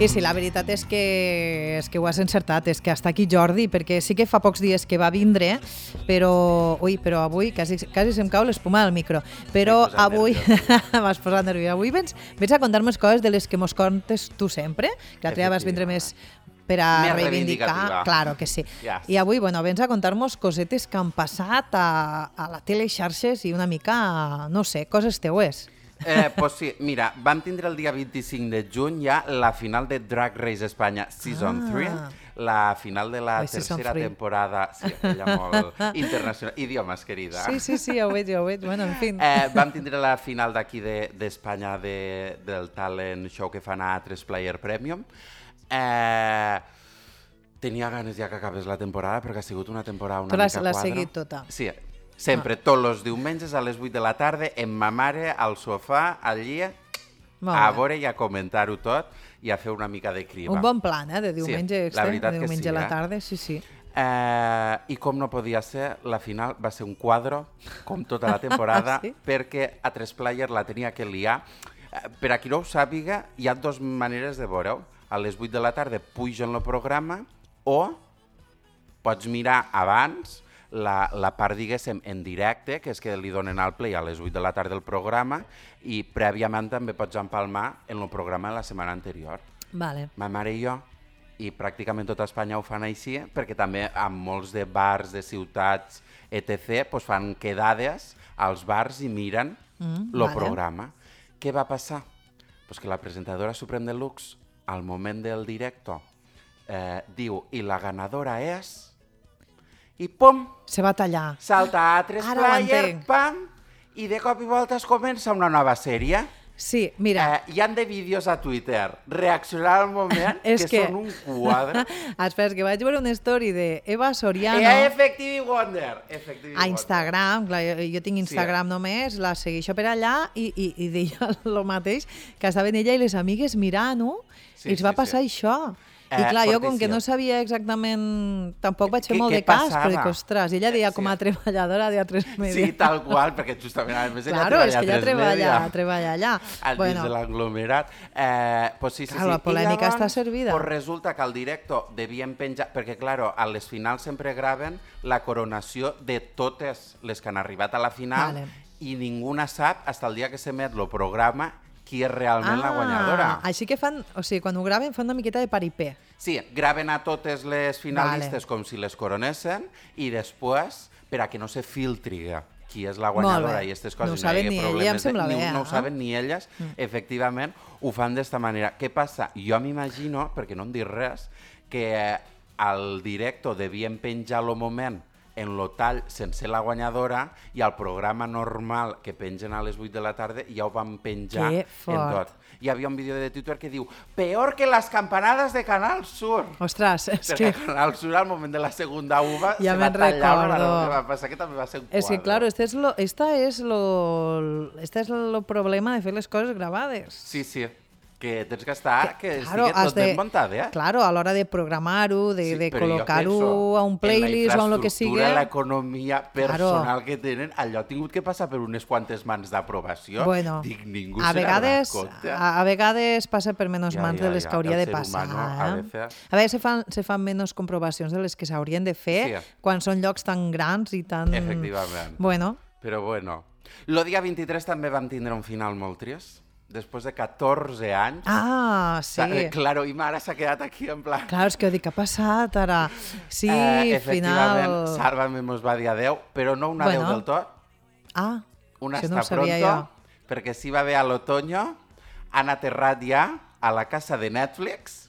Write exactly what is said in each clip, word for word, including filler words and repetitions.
I sí, la veritat és que, és que ho has encertat, és que està aquí Jordi, perquè sí que fa pocs dies que va vindre, però, ui, però avui quasi, quasi se'm cau l'espuma del micro, però avui m'has posat nerviós. Avui vens, vens a contar-me coses de les que mos contes tu sempre, que l'altre dia vas vindre més per a més reivindicar, claro que sí. Yes. I avui, bueno, vens a contar-nos cosetes que han passat a, a la tele, xarxes i una mica, no sé, coses teues. Eh, pues sí, mira, vam tindre el dia vint-i-cinc de juny ja la final de Drag Race Espanya Season Ah. tres, la final de la Oi, Season tercera three. temporada, sí, ella molt internacional, idiomes, querida. Sí, sí, sí, ja ho veig, ja ho veig, bueno, en fi. Eh, vam tindre la final d'aquí d'Espanya de, de, del talent show que fan a tres Player Premium. Eh, tenia ganes ja que acabés la temporada perquè ha sigut una temporada una Tu l'has- mica l'has quadra. seguit tota? Sí, sempre, ah. tots els diumenges a les vuit de la tarda, amb ma mare al sofà, allí, Molt a bé. veure i a comentar-ho tot i a fer una mica de criba. Un bon plan, eh, de diumenge Sí, extra, la veritat de que diumenge sí, a la eh? tarda, sí, sí. Eh, I com no podia ser, la final va ser un quadro, com tota la temporada, Sí? perquè a tres Player la tenia que liar. Eh, per a qui no ho sàpiga, hi ha dues maneres de veure-ho. A les vuit de la tarda pugen el programa o pots mirar abans la, la part, diguéssim, en directe, que és que li donen al play a les vuit de la tarda del programa i prèviament també pots empalmar en el programa de la setmana anterior. Vale. Ma mare i jo, i pràcticament tota Espanya ho fan així, perquè també en molts de bars, de ciutats, etcètera, pues fan quedades als bars i miren Mm, el vale. programa. Què va passar? Pues que la presentadora Supreme Deluxe, al moment del directo, eh, diu, i la ganadora és... I pum, Se va tallar. salta a tres Ara ho Player, entenc. pam, i de cop i volta es comença una nova sèrie. Sí, mira, Eh, hi han de vídeos a Twitter, reaccionar al moment, És que, que- són un quadre. espera, és que vaig veure una story de Eva Soriano Eh, Effective Wonder. Effective a Instagram, clar, jo, jo tinc Instagram Sí. només, la segueixo per allà i, i, i deia el mateix, que estaven ella i les amigues mirant-ho Sí, i es va sí, passar sí. això. I Eh, clar, jo com que fortíssim. no sabia exactament, tampoc vaig fer Què- molt què de cas, passava? però dic, ostres, ella deia Sí. com a treballadora de A tres Media. Sí, tal qual, perquè justament a més ella Claro, és treballa que ella a tres treballa, Media. treballa allà. Al dins de l'aglomerat. Eh, pues sí, sí, Clar, sí. la I polèmica llavors, està servida. Pues resulta que al directo devien penjar... Perquè, claro, a les finals sempre graven la coronació de totes les que han arribat a la final Vale. i ningú sap, fins el dia que s'emet el programa, qui és realment la guanyadora. Així que fan, o sigui, quan ho graven fan una miqueta de paripé. Sí, graven a totes les finalistes Vale. com si les coronessen i després, per a que no se filtri qui és la Molt guanyadora bé. i aquestes No ho coses, saben hi hagi ni ella, problemes em sembla de, bé, ni, no eh? ho saben ni elles, mm. efectivament, ho fan d'esta manera. Què passa? Jo m'imagino, perquè no em dic res, que eh, al directo devien penjar el moment en lo tall sense la guanyadora i al programa normal que pengen a les vuit de la tarda ja ho van penjar Que en fort. tot. Hi havia un vídeo de Twitter que diu «Peor que las campanadas de Canal Sur». Ostres, és Perquè que... a Canal Sur, al moment de la segunda uva, Ja se va me'n tallar una recordo. barra que va passar, que també va ser un És que, quadre. claro, este es lo, esta es lo, este es lo problema de fer les coses gravades. Sí, sí, que tens que estar, que, que claro, estigui has tot de- ben muntat, eh? Claro, a l'hora de programar-ho, de, Sí, de però jo col·locar-ho penso a un playlist o en lo que sigui. En la l'economia personal Claro. que tenen, allò ha tingut que passar per unes quantes mans d'aprovació. Bueno, Dic, ningú a se n'ha vegades, donat compte. a, a vegades passa per menys Ja, mans ja, de les ja, que hauria el de ser passar. humano a eh? veces- A vegades se fan, se fan menys comprovacions de les que s'haurien de fer Sí. quan són llocs tan grans i tan... Efectivament. Bueno, Però bueno. El dia vint-i-tres també vam tindre un final molt trist. Després de catorze anys. ah, sí. Sa- eh, Claro, i ma ara s'ha quedat aquí en plan... Clar, és que dic, què ha passat ara? Sí, eh, efectivament, final... Sálvame mos va dir adeu, però no un adeu Bueno. del tot, Ah, un això hasta no ho sabia pronto, jo. perquè si va bé a l'otoño, han aterrat ja a la casa de Netflix.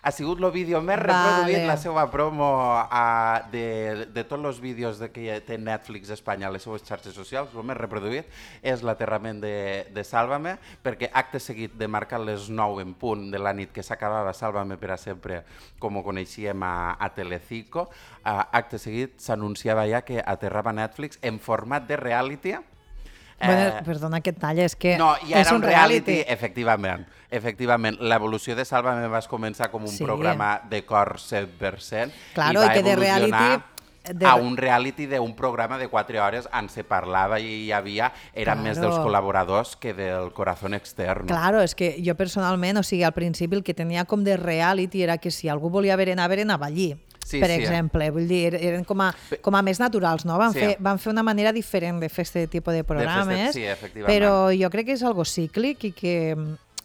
Ha sigut el vídeo més Vale. reproduït, la seva promo a, de, de tots els vídeos de que té Netflix Espanya a les seues xarxes socials, el més reproduït és l'aterrament de, de Sálvame, perquè acte seguit de marcar les nou en punt de la nit que s'acabava Sálvame per a sempre, com ho coneixíem a, a Telecinco, a, acte seguit s'anunciava ja que aterrava Netflix en format de reality. Bueno, perdona que et talla, és que No, ja és era un reality, reality. efectivament. Efectivament, l'evolució de Sálvame va començar com un Sí. programa de cor cent per cent. Claro, i i va que de evolucionar reality De... a un reality d'un programa de quatre hores on se parlava i hi havia, eren Claro. més dels col·laboradors que del corazón externo. Claro, és que jo personalment, o sigui, al principi el que tenia com de reality era que si algú volia haver anar, haver anava allí. Sí, per sí, exemple, vull dir, eren com a, com a més naturals, no? Van, Sí. fer, van fer una manera diferent de fer aquest tipus de programes, sí, efectivament. però jo crec que és algo cíclic i que,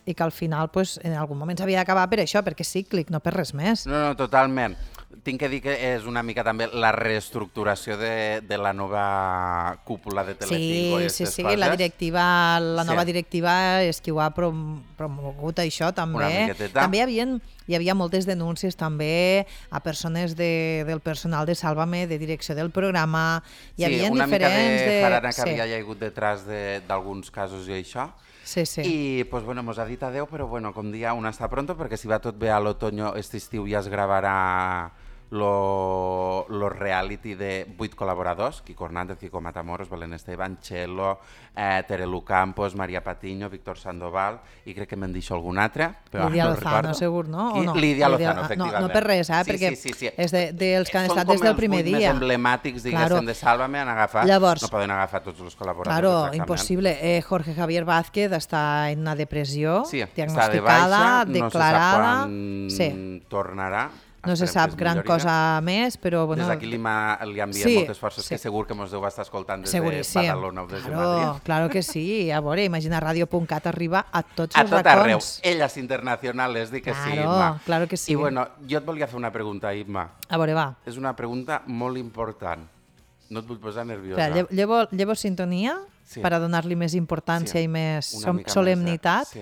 i que al final pues, en algun moment s'havia d'acabar per això, perquè és cíclic, no per res més. No, no, totalment. Tinc que dir que és una mica també la reestructuració de, de la nova cúpula de Telecinco. Sí, i sí, aquestes sí, coses. la directiva, la Sí. nova directiva és qui ho ha prom promogut això també. Una miqueteta. També hi havia, hi havia moltes denúncies també a persones de, del personal de Sálvame, de direcció del programa. Hi Sí, havia una mica diferents de jarana que sí. havia hagut detrás d'alguns casos i això. Sí, sí. I pues, bueno, mos ha dit adeu, però bueno, com dia, un està pronto, perquè si va tot bé a l'otoño, este estiu ja es gravarà lo, lo reality de vuit col·laboradors, Quico Hernández, Quico Matamoros, Belén Esteban, Chelo, eh, Terelu Campos, Maria Patiño, Víctor Sandoval, i crec que me'n deixo algun altre, però Lídia no Lozano, recordo. segur, no? Qui? O no? Lídia Lozano, Lídia- efectivament. No, no per res, eh? Sí, perquè sí, sí, sí. és de, dels que han Són estat com des del els primer vuit dia. més emblemàtics, diguéssim, Claro. de Sálvame, han agafat. Llavors- no poden agafar tots els col·laboradors. Claro, exactament. impossible. Eh, Jorge Javier Vázquez està en una depressió, Sí, està de diagnosticada, baixa, declarada. no se sap quan Sí. tornarà. No se Esperem sap que es gran millori. cosa més, però bueno, Des d'aquí li, ma- li enviem Sí, moltes forces, sí. que segur que mos deu estar escoltant des seguríssim. de Badalona o des de Claro, Madrid. claro que sí. A veure, imagina radio punt cat arriba a tots A els tot arreu. racons. Elles internacionals, dic que sí, Claro, Imma. claro que sí. I bueno, jo et volia fer una pregunta, Imma. A veure, va. És una pregunta molt important. No et vull posar nerviosa. Espera, lle- llevo, llevo sintonia Sí. per a donar-li més importància Sí, i més una som- mica més de- solemnitat. Sí.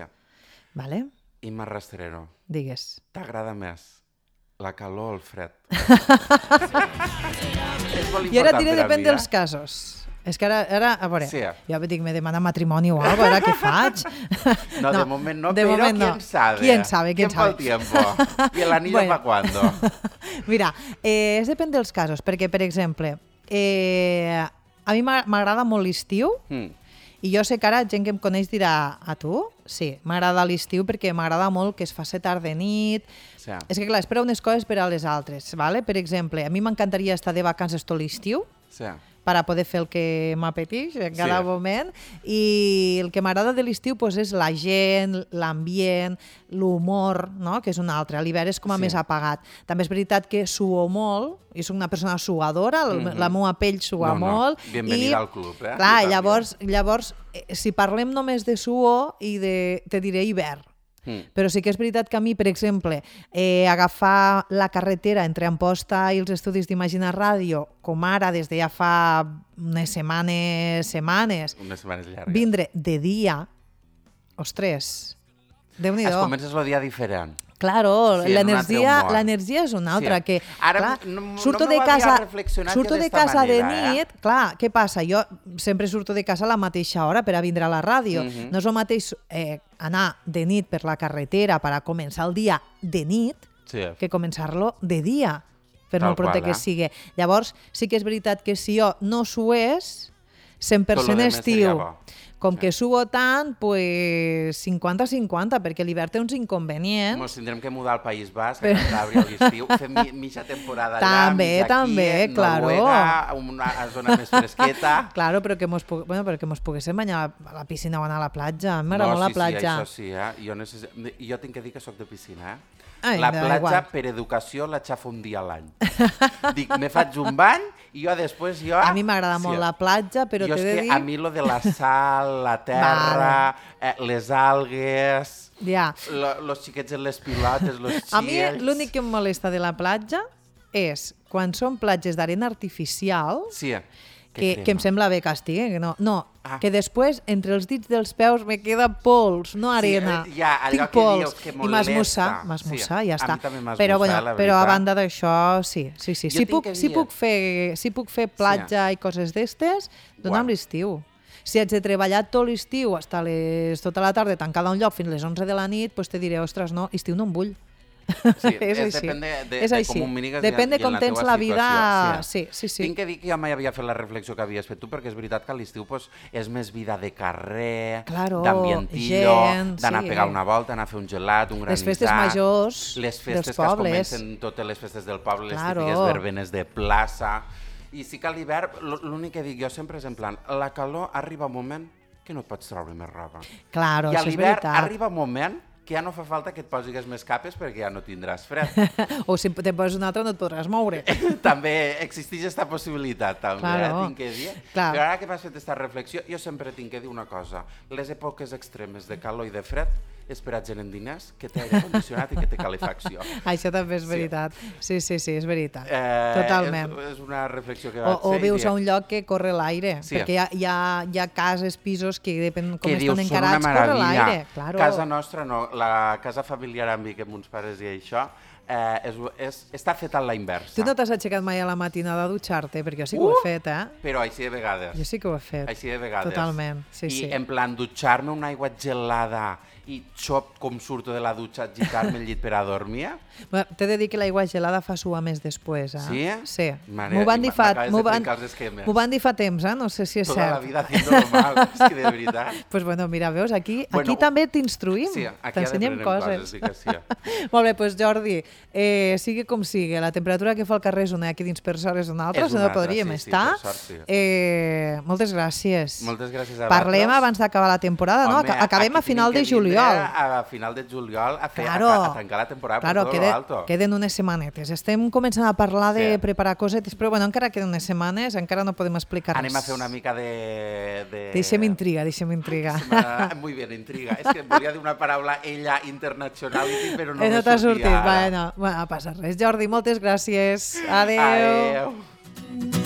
Vale? Imma Rastrero, Digues. t'agrada més la calor o el fred? És molt I ara important diré per a depèn mi, dels eh? casos. És que ara, ara a veure, Sí. jo dic, me demana matrimoni o alguna cosa, ara què faig? No, de moment no, de pero moment no. quién sabe. ¿Quién sabe? ¿Quién ¿Tiempo al sabe? tiempo? ¿Y el anillo Bueno. para cuándo? Mira, eh, és depèn dels casos, perquè, per exemple, eh, a mi m'agrada m'agrada molt l'estiu, Mm. i jo sé que ara gent que em coneix dirà, a tu? Sí, m'agrada l'estiu perquè m'agrada molt que es faci tard de nit. Sí. És que, clar, espera unes coses per a les altres, ¿vale? Per exemple, a mi m'encantaria estar de vacances tot l'estiu, Sí. per a poder fer el que m'apeteix en cada Sí. moment, i el que m'agrada de l'estiu pues, és la gent, l'ambient, l'humor, no? Que és un altre. A l'hivern és com a Sí. més apagat. També és veritat que suo molt, i soc una persona suadora, mm -hmm. la meva pell sua No, no. molt. Bienvenida i, al club, eh? Clar, Jo també. llavors, llavors eh, si parlem només de suor, i de, te diré hivern. Mm. Però sí que és veritat que a mi, per exemple, eh, agafar la carretera entre Amposta i els estudis d'Imagina Ràdio, com ara des de ja fa unes setmanes, setmanes, Unes setmanes llargues. vindre de dia, ostres, Es Déu-n'hi-do. comences el dia diferent. Claro, Sí, en un l'energia altre humor. l'energia és una altra, Sí. que Ara clar, no- no surto m'ho de havia casa, reflexionat surto jo de d'esta casa de manera, eh? nit, clar, què passa? Jo sempre surto de casa a la mateixa hora per a vindre a la ràdio. Mhm. No és el mateix eh, anar de nit per la carretera per a començar el dia de nit Sí. que començar-lo de dia, per Tal molt pronte qual, que eh? sigui. Llavors, sí que és veritat que si jo no sués, cent per Tot cent lo demés seria estiu. bo. Com que suo tant, pues cinquanta cinquanta, perquè l'hivern té uns inconvenients. Ens tindrem que mudar al País Basc, a Cantàbria, a l'estiu, fer mi, mitja temporada allà, També, mitja aquí, també, claro. Noruega, una zona més fresqueta. Claro, però que mos, pu bueno, però que mos poguéssim banyar a la piscina o anar a la platja. M'agrada molt la sí, platja. sí, això sí, eh? Jo, necess... jo tinc que dir que sóc de piscina, eh? Ai, la me da platja, igual. per educació, la xafo un dia a l'any. Dic, me faig un bany i jo després... Jo... A mi m'agrada molt la platja, però jo t'he és de que dir... a mi lo de la sal, la terra, eh, les algues, Ja. lo, los xiquets en les pilotes, los xiels... A mi l'únic que em molesta de la platja és quan són platges d'arena artificial, Sí, que, que em sembla bé que estigui, que no, no Ah. que després entre els dits dels peus me queda pols, no arena. Sí, eh, ja, allò Tinc que pols. dius que I molesta. m'esmussa, m'esmussa, Sí, ja a està. mi també m'esmussa, però, bueno, eh, la però a veritat. banda d'això, sí, sí, sí. Jo Si tinc puc, que si dir- puc fer, si puc fer platja i coses d'estes, dona'm Guau. l'estiu. Si haig de treballar tot l'estiu, hasta les, tota la tarda tancada a un lloc fins les onze de la nit, doncs te diré, ostres, no, estiu no em vull. Sí, és és així. depèn de, de, és de així. com ho mires depèn de i en com la tens teua la vida. situació. Sí, sí, sí. Tinc que dir que jo mai havia fet la reflexió que havies fet tu, perquè és veritat que a l'estiu pues, és més vida de carrer, Claro, d'ambientillo, gent, d'anar sí. a pegar una volta, anar a fer un gelat, un granissat. Les festes majors les festes dels que es pobles. comencen totes les festes del poble, les Claro. típiques verbenes de plaça. I sí que a l'hivern, l'únic que dic jo sempre és en plan, la calor arriba un moment que no et pots treure més roba. Claro, I a això és l'hivern veritat. arriba un moment que ja no fa falta que et posis més capes perquè ja no tindràs fred. O si te poses un altre no et podràs moure. També existeix aquesta possibilitat, també, Claro. eh, tinc que dir. Clar. Però ara que m'has fet aquesta reflexió, jo sempre tinc que dir una cosa. Les èpoques extremes de calor i de fred és per a gent en diners que té aire condicionat i que té calefacció. Això també és veritat. Sí, sí, sí, és veritat. Eh, Totalment. És, és una reflexió que O, vaig o fer. vius i a un lloc que corre l'aire, Sí. perquè hi ha, hi, ha, hi ha cases, pisos que depèn com que estan dius, són una encarats, corre meravella. l'aire. Claro. Casa nostra no, la casa familiar amb mi, que amb uns pares i això, eh, és, és, està feta a la inversa. Tu no t'has aixecat mai a la matinada a dutxar-te? Perquè jo sí que ho he Uh! fet, eh? Però així de vegades. Jo sí que ho he fet. Així de vegades. Totalment, sí, I sí. en plan, dutxar-me una aigua gelada i xop com surto de la dutxa, gitar-me el llit per a dormir. Bueno, t'he de dir que l'aigua gelada fa suar més després, eh? Sí? Sí. Mare, M'ho van dir fa... m'acabes m'ho de van- trencar els esquemes. M'ho van dir fa temps, eh? No sé si és Tota cert. la vida haciéndolo mal, és que de veritat. Pues bueno, mira, veus, aquí, Bueno, aquí també t'instruïm, Sí, aquí t'ensenyem coses. coses. Sí que sí. Molt bé, doncs Jordi, eh, sigui com sigui, la temperatura que fa el carrer és una, aquí dins per sort és una altra, És si no una altra, podríem sí, sí, estar. per sort, sí. eh, moltes gràcies. Moltes gràcies a Parlem vosaltres. abans d'acabar la temporada, no? Home, Aca- Acabem aquí a final tenim de que vindre juliol. A final de juliol a, fer, Claro. a, a tancar la temporada Claro, per tot quede, lo alto. queden unes setmanetes. Estem començant a parlar de Sí. preparar cosetes, però bueno, encara queden unes setmanes, encara no podem explicar Anem a res. fer una mica de... de... Deixem intriga, deixem intriga. Se m'ha- Muy bien, intriga. És que volia dir una paraula ella internationality, però no Eh, me no t'ha sortia sortit, ara. bueno, bueno, no passa res. Jordi, moltes gràcies. Adeu. Adeu.